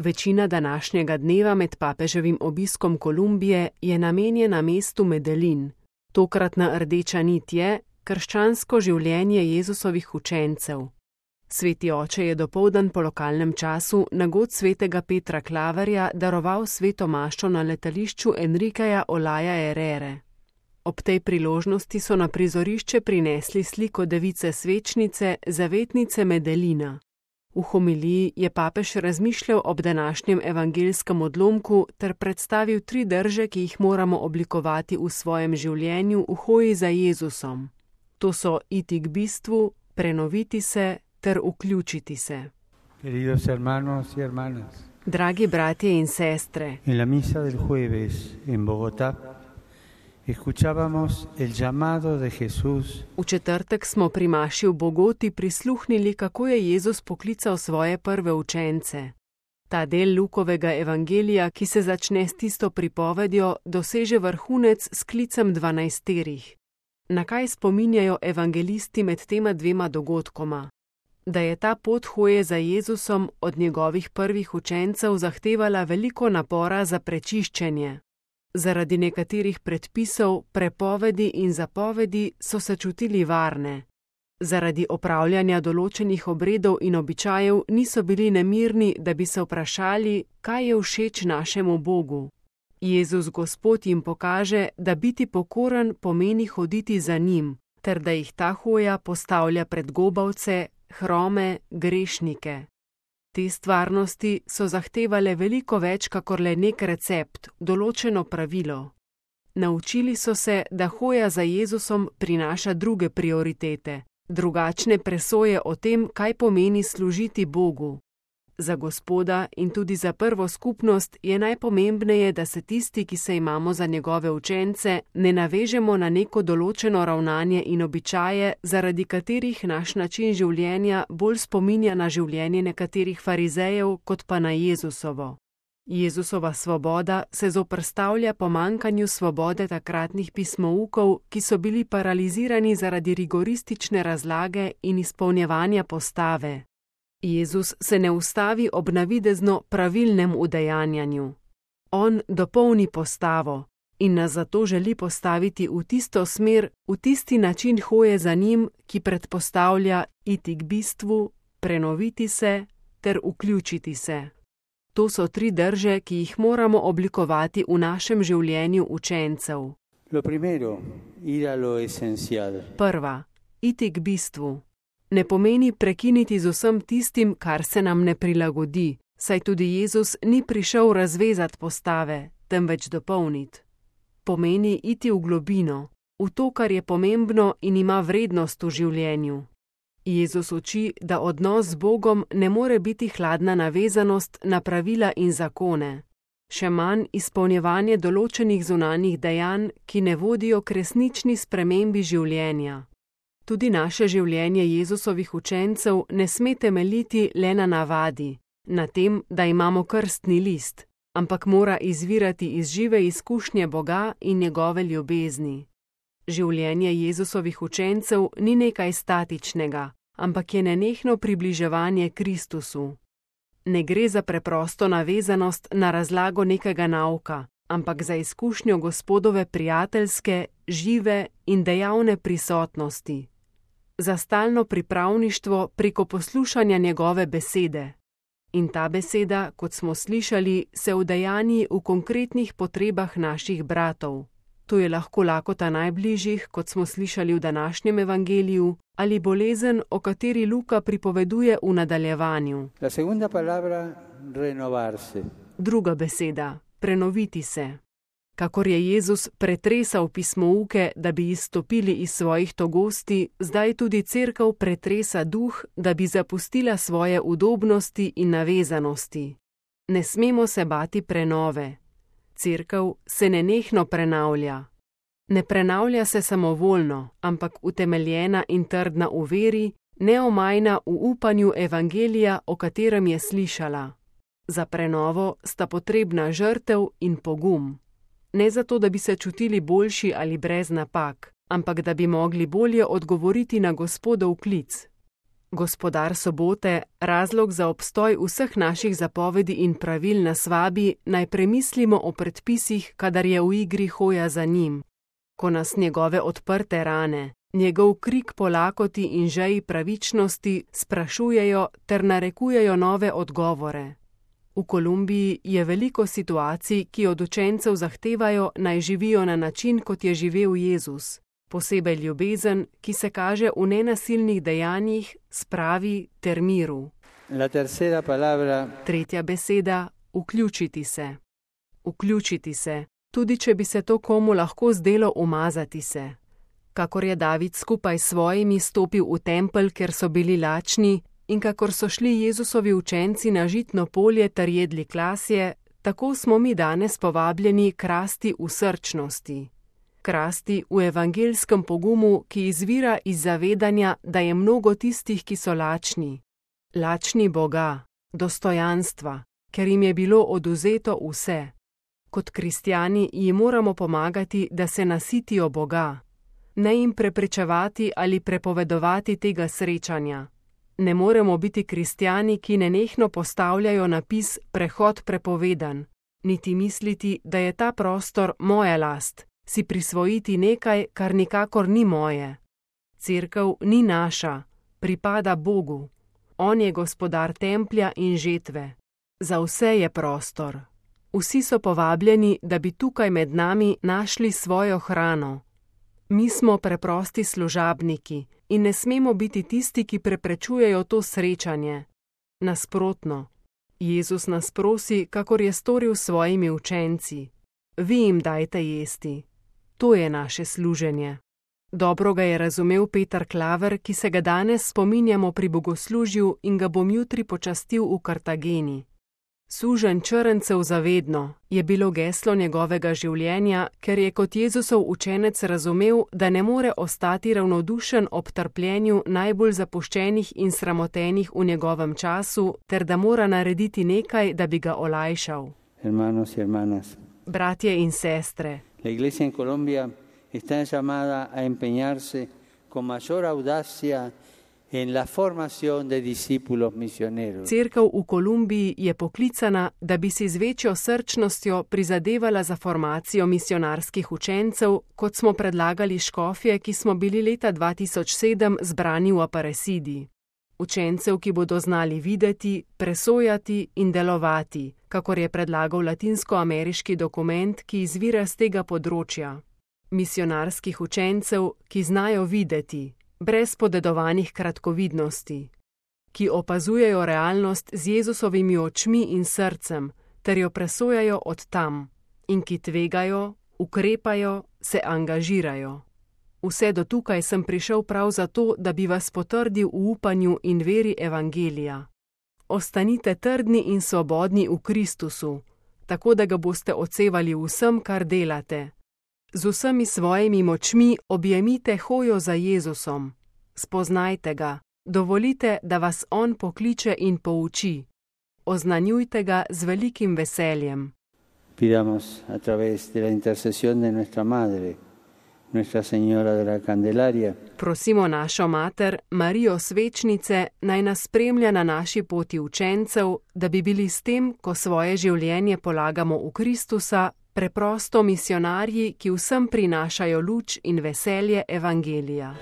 Večina današnjega dneva med papeževim obiskom Kolumbije je namenjena mestu Medellin. Tokratna rdeča nit je krščansko življenje Jezusovih učencev. Sveti oče je dopoldan po lokalnem času na god svetega Petra Klaverja daroval sveto maščo na letališču Enriqueja Olaya Herrere. Ob tej priložnosti so na prizorišče prinesli sliko device svečnice, zavetnice Medellina. V homiliji je papež razmišljal ob današnjem evangelskem odlomku ter predstavil 3 drže, ki jih moramo oblikovati v svojem življenju v hoji za Jezusom. To so iti k bistvu, prenoviti se ter vključiti se. Queridos hermanos y hermanas, Dragi bratje in sestre, en la misa del jueves en Bogotá escuchábamos el llamado de Jesús v četrtek smo pri maši v Bogoti prisluhnili, kako je Jezus poklical svoje prve učence. Ta del Lukovega evangelija, ki se začne s tisto pripovedjo, doseže vrhunec s klicem 12. Na kaj spominjajo evangelisti med tema 2 dogodkoma? Da je ta pot hoje za Jezusom od njegovih prvih učencev zahtevala veliko napora za prečiščenje. Zaradi nekaterih predpisov, prepovedi in zapovedi so se čutili varne. Zaradi opravljanja določenih obredov in običajev niso bili nemirni, da bi se vprašali, kaj je všeč našemu Bogu. Jezus Gospod jim pokaže, da biti pokoren pomeni hoditi za njim, ter da jih ta hoja postavlja pred gobavce, hrome, grešnike. Te stvarnosti so zahtevale veliko več kakor le nek recept, določeno pravilo. Naučili so se, da hoja za Jezusom prinaša druge prioritete, drugačne presoje o tem, kaj pomeni služiti Bogu. Za Gospoda in tudi za prvo skupnost je najpomembneje, da se tisti, ki se imamo za njegove učence, ne navežemo na neko določeno ravnanje in običaje, zaradi katerih naš način življenja bolj spominja na življenje nekaterih farizejev, kot pa na Jezusovo. Jezusova svoboda se zoperstavlja pomanjkanju svobode takratnih pismoukov, ki so bili paralizirani zaradi rigoristične razlage in izpolnjevanja postave. Jezus se ne ustavi ob navidezno pravilnem udejanjanju. On dopolni postavo in nas zato želi postaviti v tisto smer, v tisti način hoje za njim, ki predpostavlja iti k bistvu, prenoviti se ter vključiti se. To so 3 drže, ki jih moramo oblikovati v našem življenju učencev. Prva, iti k bistvu. Ne pomeni prekiniti z vsem tistim, kar se nam ne prilagodi, saj tudi Jezus ni prišel razvezati postave, temveč dopolniti. Pomeni iti v globino, v to, kar je pomembno in ima vrednost v življenju. Jezus uči, da odnos z Bogom ne more biti hladna navezanost na pravila in zakone, še manj izpolnjevanje določenih zunanjih dejanj, ki ne vodijo k resnični spremembi življenja. Tudi naše življenje Jezusovih učencev ne sme temeljiti le na navadi, na tem, da imamo krstni list, ampak mora izvirati iz žive izkušnje Boga in njegove ljubezni. Življenje Jezusovih učencev ni nekaj statičnega, ampak je nenehno približevanje Kristusu. Ne gre za preprosto navezanost na razlago nekega nauka, ampak za izkušnjo Gospodove prijateljske, žive in dejavne prisotnosti. Za stalno pripravništvo preko poslušanja njegove besede. In ta beseda, kot smo slišali, se udejanji v konkretnih potrebah naših bratov. To je lahko lakota najbližjih, kot smo slišali v današnjem evangeliju, ali bolezen, o kateri Luka pripoveduje v nadaljevanju. Druga beseda, prenoviti se. Kakor je Jezus pretresal pismouke, da bi izstopili iz svojih togosti, zdaj tudi Cerkev pretresa duh, da bi zapustila svoje udobnosti in navezanosti. Ne smemo se bati prenove. Cerkev se nenehno prenavlja. Ne prenavlja se samovoljno, ampak utemeljena in trdna v veri, neomajna v upanju evangelija, o katerem je slišala. Za prenovo sta potrebna žrtev in pogum. Ne zato, da bi se čutili boljši ali brez napak, ampak da bi mogli bolje odgovoriti na Gospodov klic. Gospodar sobote, razlog za obstoj vseh naših zapovedi in pravil nas vabi, naj premislimo o predpisih, kadar je v igri hoja za njim. Ko nas njegove odprte rane, njegov krik po lakoti in žeji pravičnosti sprašujejo ter narekujejo nove odgovore. V Kolumbiji je veliko situacij, ki od učencev zahtevajo, naj živijo na način, kot je živel Jezus. Posebej ljubezen, ki se kaže v nenasilnih dejanjih, spravi ter miru. Tretja beseda, vključiti se. Vključiti se, tudi če bi se to komu lahko zdelo umazati se. Kakor je David skupaj s svojimi stopil v tempelj, ker so bili lačni, in kakor so šli Jezusovi učenci na žitno polje ter jedli klasje, tako smo mi danes povabljeni krasti v srčnosti. Krasti v evangelskem pogumu, ki izvira iz zavedanja, da je mnogo tistih, ki so lačni. Lačni Boga, dostojanstva, ker jim je bilo odvzeto vse. Kot kristjani jim moramo pomagati, da se nasitijo Boga. Ne jim preprečevati ali prepovedovati tega srečanja. Ne moremo biti kristjani, ki nenehno postavljajo napis prehod prepovedan, niti misliti, da je ta prostor moja last, si prisvojiti nekaj, kar nikakor ni moje. Cerkev ni naša, pripada Bogu. On je gospodar templja in žetve. Za vse je prostor. Vsi so povabljeni, da bi tukaj med nami našli svojo hrano. Mi smo preprosti služabniki in ne smemo biti tisti, ki preprečujejo to srečanje. Nasprotno, Jezus nas prosi, kakor je storil s svojimi učenci. Vi jim dajte jesti. To je naše služenje. Dobro ga je razumel Peter Klaver, ki se ga danes spominjamo pri bogoslužju in ga bom jutri počastil v Kartageni. Suženj črncev zavedno je bilo geslo njegovega življenja, ker je kot Jezusov učenec razumel, da ne more ostati ravnodušen ob trpljenju najbolj zapuščenih in sramotenih v njegovem času, ter da mora narediti nekaj, da bi ga olajšal. Hermanos y hermanas. Bratje in sestre. La Iglesia en Colombia está llamada a empeñarse con mayor audacia en la formación de discípulos misioneros. Cerkev v Kolumbiji je poklicana, da bi si z večjo srčnostjo prizadevala za formacijo misionarskih učencev, kot smo predlagali škofje, ki smo bili leta 2007 zbrani v Aparecidi. Učencev, ki bodo znali videti, presojati in delovati, kakor je predlagal latinskoameriški dokument, ki izvira z tega področja. Misionarskih učencev, ki znajo videti, brez podedovanih kratkovidnosti, ki opazujejo realnost z Jezusovimi očmi in srcem, ter jo presojajo od tam, in ki tvegajo, ukrepajo, se angažirajo. Vse do tukaj sem prišel prav zato, da bi vas potrdil v upanju in veri evangelija. Ostanite trdni in svobodni v Kristusu, tako da ga boste odsevali vsem, kar delate. Z vsemi svojimi močmi objemite hojo za Jezusom. Spoznajte ga, dovolite, da vas on pokliče in pouči. Oznanjujte ga z velikim veseljem. Pidamos a través de la intercesión de nuestra Madre, Nuestra Señora de la Candelaria. Prosimo našo mater, Marijo Svečnice, naj nas spremlja na naši poti učencev, da bi bili s tem, ko svoje življenje polagamo v Kristusa, preprosto misionarji, ki vsem prinašajo luč in veselje evangelija.